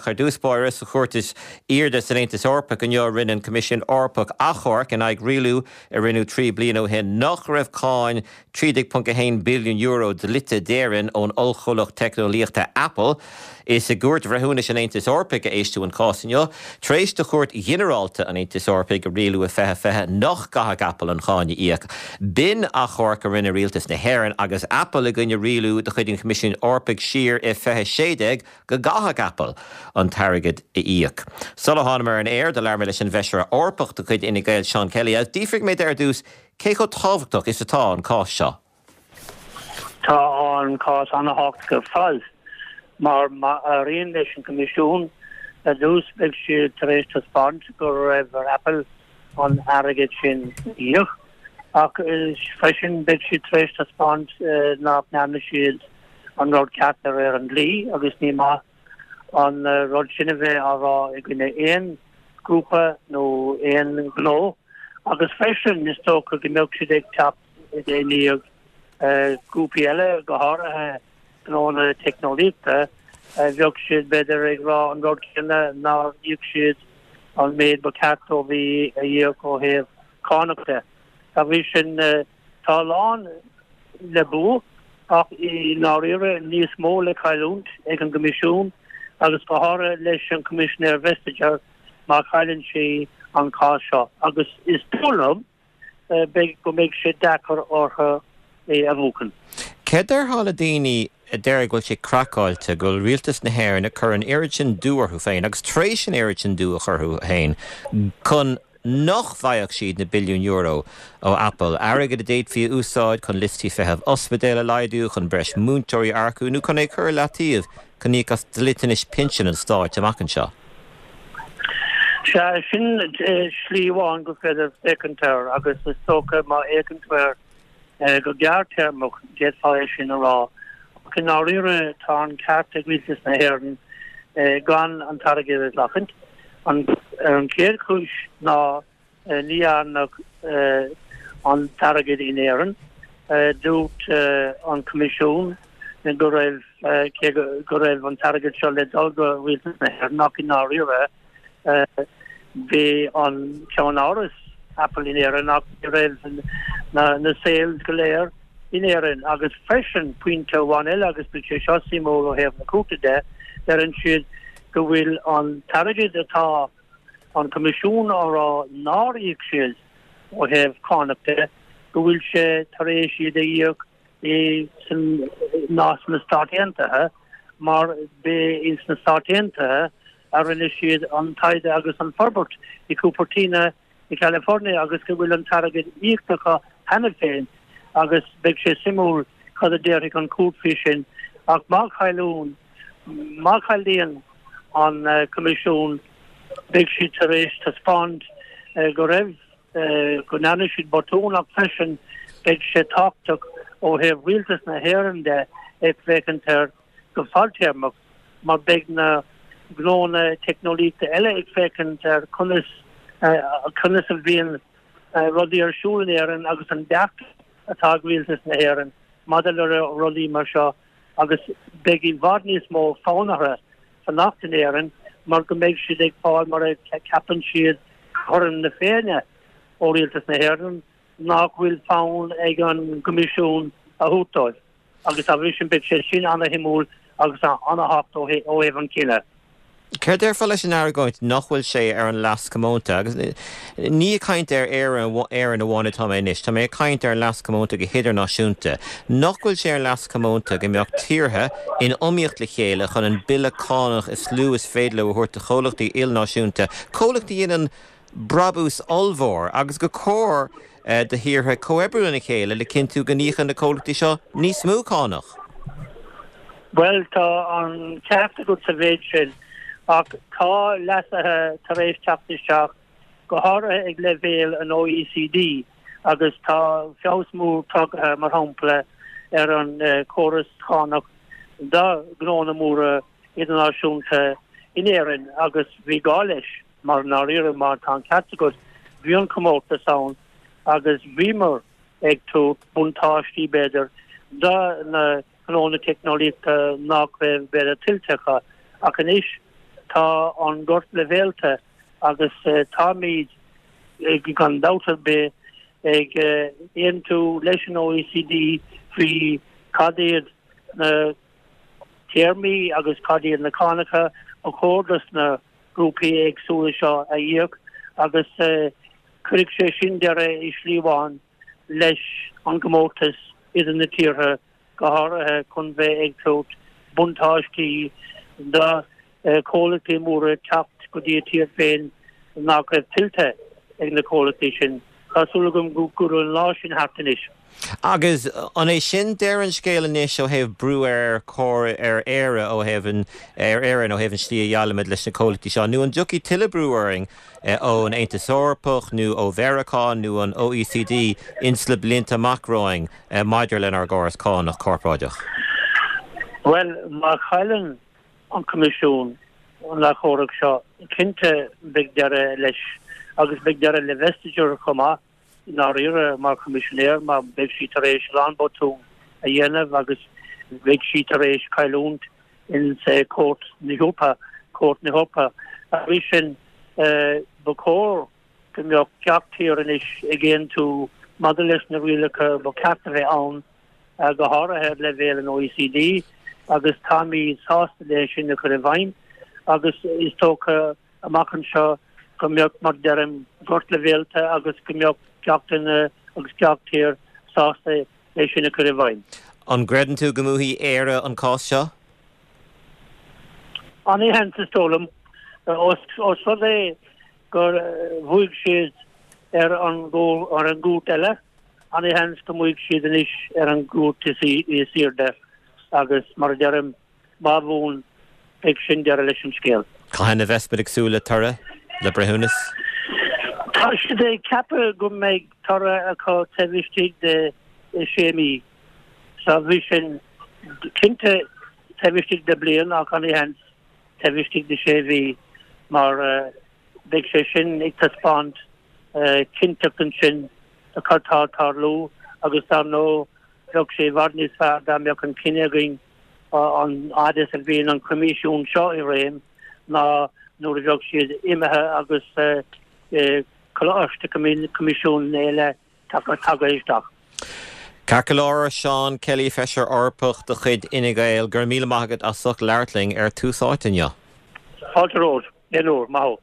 Ach ar dtús báire, sa chúirt is airde san Aontas Eorpach inniu rinne an Coimisiún Eorpach achomharc in aghaidh rialú a rinneadh 3 bliana ó shin nach raibh cáin €13.1 billiún dlite d'Éirinn ón ollchomhlacht teicneolaíochta Apple. Is i gCúirt Bhreithiúnais an Aontais Eorpaigh a éisteadh an cás inniu, tar éis do Chúirt Ghinearálta an Aontais Eorpaigh a rialú i 2020 nach gcaithfeadh Apple an cháin a íoc. B'in achomharc a rinne Rialtas na hÉireann agus Apple i gcoinne rialú de chuid an Choimisiúin Eorpaigh siar i 2016 go gcaithfeadh Apple an t-airgead a íoc. Sula thánamar ar an aer, do labhair mé leis an bhFeisire Eorpach de chuid Fhine Gael, Seán Kelly, agus d'fhiafraigh mé de ar dtús cé chomh tábhachtach is atá an cás seo. Tá an cás an-tábhachtach ar fad mar má éiríonn leis an gCoimisiún ar dtús beidh siad tar éis taispeáint go raibh ar Apple an airgead sin a íoc ach freisin beidh siad tar éis taispeáint nach ndearna siad an rud ceart de réir an dlí agus ní maith an rud sin a bheith á rá i gcoinne aon ghrúpa nó aon ghnó agus freisin is dócha go mbeadh siad ag teacht i ndiaidh grúpaí eile, go háirithe gnónna teicneolaíochta, bheadh siad b'fhéidir ag rá an rud céanna nár íoc siad an méid ba cheart dóibh a íoc ó thaobh cánach de. Dá bhrí sin, tá a lán le bua ach i ndáiríre níos mó le cailliúint ag an gCoimisiún agus go háirithe leis an Choimisinéir Vestager má chailleann sí an cás seo. Agus is dóigh liom beidh, go mbeidh sé deacair orthu é a bhuachan. Céard déarfá le daoine a deir go bhfuil sé craiceáilte go bhfuil rialtas na hÉireann ag cur an oiread sin dua orthu féin agus tar éis an oiread sin dua a chur orthu féin chun nach bhfaigheadh siad na billiúin euro ó Apple, airgead a d'fhéadfaí a úsáid chun liostaí feithimh ospidéal a laghdú, chun breis múinteoirí a earcú nó chun é a chur i leataobh chun íoc as dliteanais pinsin an stáit amach anseo? Sea, sin slí amháin gur féidir féachaint air agus is dócha má fhéachann tú air go gearrthéarmach, d'fhéadfá é sin a rá. Ach i ndáiríre, tá an ceart ag Rialtas na hÉireann gan an t-airgead a ghlacaint. An chéad chúis ná Ní dhearnadh an t-airgead in Éirinn. Dúirt an Coimisiún go raibh, cé go raibh an t-airgead seo le dul go Rialtas na hÉireann, ach i ndáiríre bhí an ceannáras Apple in Éirinn ach ní raibh na sales go léir in Éirinn. Agus freisin, pointe amháin eile, agus beidh sé seo suimiúil ó thaobh na cúirte de, deireann siad go bhfuil an t-airgead atá an Coimisiún á rá nár íoc siad ó thaobh cánach de, go bhfuil sé tar éis iad a íoc i ná sna Stáit Aontaithe mar b'é ins na Stáit Aontaithe a rinne siad an taighde agus an forbairt i Cupertino i California agus go bhfuil an t-airgead íoctha acu cheana féin agus beidh sé suimiúil cad a déarfaidh an chúirt faoi sin ach má chailleann má chailleann an Coimisiún beidh siad tar éis taispeáint go raibh go ndearna siad botún ach freisin beidh sé tábhachtach ó thaobh rialtas na hÉireann de ag féachaint air go fadtéarmach mar beidh na gnónna teicneolaíochta eile ag féachaint ar conas conas a bhíonn rudaí ar siúl in Éirinn agus an dearcadh atá ag rialtas na hÉireann maidir le rudaí mar seo agus beidh i bhfad níos mó fonn orthu fanacht in Éirinn mar go mbeidh siad ag fáil mar a ceapann siad cothrom na Féinne ó Rialtas na hÉireann nach bhfuil fonn ag an gCoimisiún a thabhairt dóibh agus dá bhrí sin beidh sé sin ana-shuimiúil agus ana-thábhachtach ó thaobh an cinneadh. Céard déarfá leis an argóint nach bhfuil sé ar an leas comónta? Agus ní ag caint ar Éirinn amháin atá mé anois, tá mé ag caint ar an leas comónta go hidirnáisiúnta. Nach bhfuil sé ar an leas comónta go mbeadh tíortha in iomaíocht le chéile chun an bille cánach is lú is féidir leo a thabhairt do chomhlachtaí ilnáisiúnta, comhlachtaí a dhéanann brabús ollmhór, agus gur cóir do thíortha comhoibriú lena chéile le cinntiú go n-íocann na comhlachtaí seo níos mó cánach. Bhuel, tá an ceart agat sa mhéid sin, ach tá leasuithe tar éis teacht isteach, go háirithe ag leibhéal an OECD, agus tá feabhas mór tagtha, mar shampla, ar an chóras cánach do ghnónna móra idirnáisiúnta in Éirinn agus bhí gá leis. Mar i ndáiríre, má tá an ceart agat, bhí an comórtas ann agus bhíomar ag tabhairt buntáistí, b'fhéidir, do na gnónna teicneolaíochta nach raibh, b'fhéidir, tuillte acu. Ach anois, tá. Tá an gort leibhéalta agus táimid gan dabht ar bith ag aontú leis an OECD faoi cad iad na téarmaí agus cad iad na cánacha ba chóir dos na grúpaí éagsúla seo a íoc agus cuirfidh sé sin deireadh i slí amháin leis an gcomórtas idir na tíortha, go háirithe chun bheith ag tabhairt buntáistí do chomhlachtaí móra teacht go dtí a tír féin nach raibh tuillte ag na comhlachtaí sin. Tá súil agam go bhfuil an lá sin thart anois. Agus an é sin deireadh an scéil anois ó thaobh brú ar ar Éire ó thaobh an ar Éirinn ó thaobh an slí a dhéileálaimid leis na comhlachtaí seo nó an dtiocfaidh tuilleadh brú orainn ón Aontas Eorpach nó ó Mheiriceá nó an OECD ins na blianta amach romhainn maidir lenár gcóras cánach corparáideach? Bhuel, má chailleann an Coimisiún an achomharc seo, cinnte beidh deireadh leis agus beidh deireadh le Vestager chomh maith i ndáiríre mar Choimisinéir mar beidh sí tar éis a lán botún a dhéanamh agus beidh sí tar éis cailliúint in Cúirt na hEorpa, Cúirt na hEorpa. Arís sin, ba chóir go mbeadh gach tír anois ag aontú maidir leis na rialacha ba cheart a bheith ann go háirithe ar leibhéal an OECD, agus táimid sásta le sin a chur i bhfeidhm agus is dócha amach anseo go mbeadh, mar a deirim, gort leibhéalta agus go mbeadh gach duine agus gach tír sásta é sin a chur i bhfeidhm. An gcreideann tú go mbuafaidh Éire an cás seo? An-sheans, is dóigh liom. Ós rud é gur bhuaigh siad ar an ar an gcúirt eile, an-sheans go mbuafaidh siad anois ar an gcúirt is airde agus, mar a deirim, má bhuann, beidh sin deireadh leis an scéal. Cathain a bheas muid ag súil le toradh, le breithiúnas? Tá siad ag ceapadh go mbeidh toradh acu taobh istigh de sé mhí. So bhí sin cinnte taobh istigh de bliain ach an-sheans taobh istigh de sé mhí mar beidh sé sin ag taispeáint cinnteacht ansin de cad tá ag tarlú agus dar ndóigh bheadh sé i bhfad níos fearr dá mbeadh an cinneadh againn an fhad is a bhíonn an Coimisiún seo i réim ná nuair a bheadh siad imithe agus coláiste Coimisiún eile tagtha isteach. Ceart go leor, a Seán Kelly, Feisire Eorpach de chuid Fhine Gael, go raibh míle maith agat as ucht labhairt linn ar Tús Áite inniu. Fáilte romhat, aon uair, maith thú.